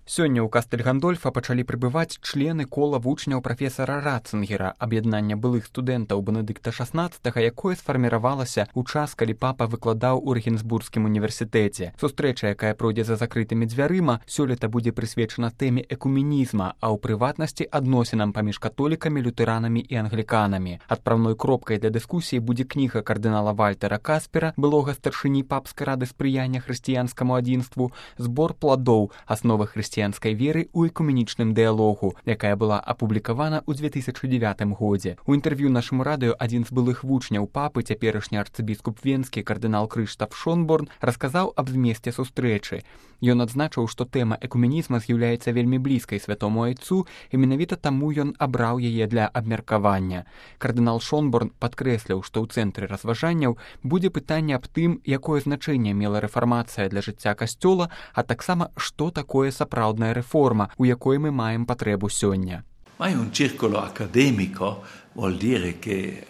Сёння ў Кастэль-Гандольфа пачалі прыбываць члены кола вучняў прафесара Ратцынгера, аб'яднання былых студэнтаў Бенедыкта XVI, якое сфарміравалася ў час, калі папа выкладаў у Рэгенсбургскім універсітэце. Сустрэча, якая пройдзе за закрытымі дзвярыма, сёлета будзе прысвечана тэме экуменізма, а ў прыватнасці адносінам паміж католікамі, лютэранамі і англіканамі. Адпраўной кропкай для дыскусіі будзе кніга кардынала Вальтера Каспера, былога старшыні папскай рады спрыяння хрысціянскаму адзінству, «Збор пладоў. Асновы хрысціянскай веры ў экуменічным дыялогу», якая была апублікавана ў 2009 годзе. У інтэрв'ю нашаму радыё адзін з былых вучняў папы, цяперашні арцыбіскуп венскі кардынал Крыштаф Шонборн, расказаў аб змесце сустрэчы. Ён адзначыў, што тэма экуменізма з'яўляецца вельмі блізкай святому айцу, і менавіта таму ён абраў яе для абмеркавання. Кардынал Шонборн падкрэсліў, што ў цэнтры разважанняў будзе пытанне аб тым, якое значэнне мела рэфармацыя для жыцця касцёла, а таксама, што такое сапраўдная рэформа, у якой мы маем патрэбу сёння. Ma in un circolo accademico vuol dire che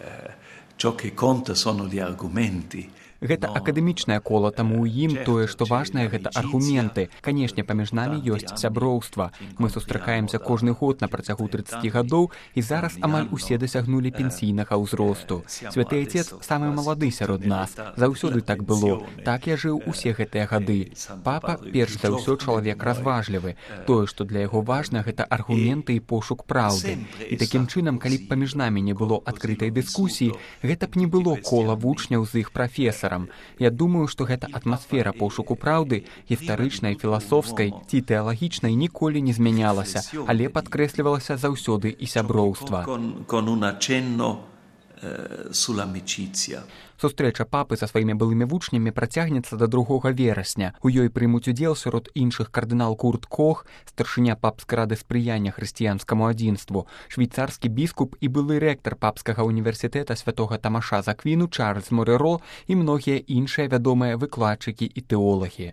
ciò che conta sono gli argomenti. Гэта акадэмічнае кола, таму ў ім тое, што важнае, гэта аргументы. Канешне, паміж намі ёсць сяброўства. Мы сустракаемся кожны год на працягу 30 гадоў, і зараз амаль усе дасягнулі пенсійнага ўзросту. Святы Айцец самы малады сярод нас. Заўсёды так было. Так я жыў усе гэтыя гады. Папа, перш за ўсё, чалавек разважлівы. Тое, што для яго важна, гэта аргументы і пошук праўды. І такім чынам, калі б паміж намі не было адкрытай дыскусіі, гэта б не было кола вучняў з іх прафесарам. Я думаю, што гэта атмасфера пошуку праўды, гістарычнай, філасофскай ці тэалагічнай, ніколі не змянялася, але падкрэслівалася заўсёды і сяброўства. Сустрэча папы са сваімі былымі вучнямі працягнецца да 2 верасня. У ёй прымуць удзел сярод іншых кардынал Курт Кох, старшыня папскай рады спрыяння хрысціянскаму адзінству, швейцарскі біскуп і былы рэктар папскага універсітэта святога Тамаша з Аквіну Чарльз Мореро і многія іншыя вядомыя выкладчыкі і тэолагі.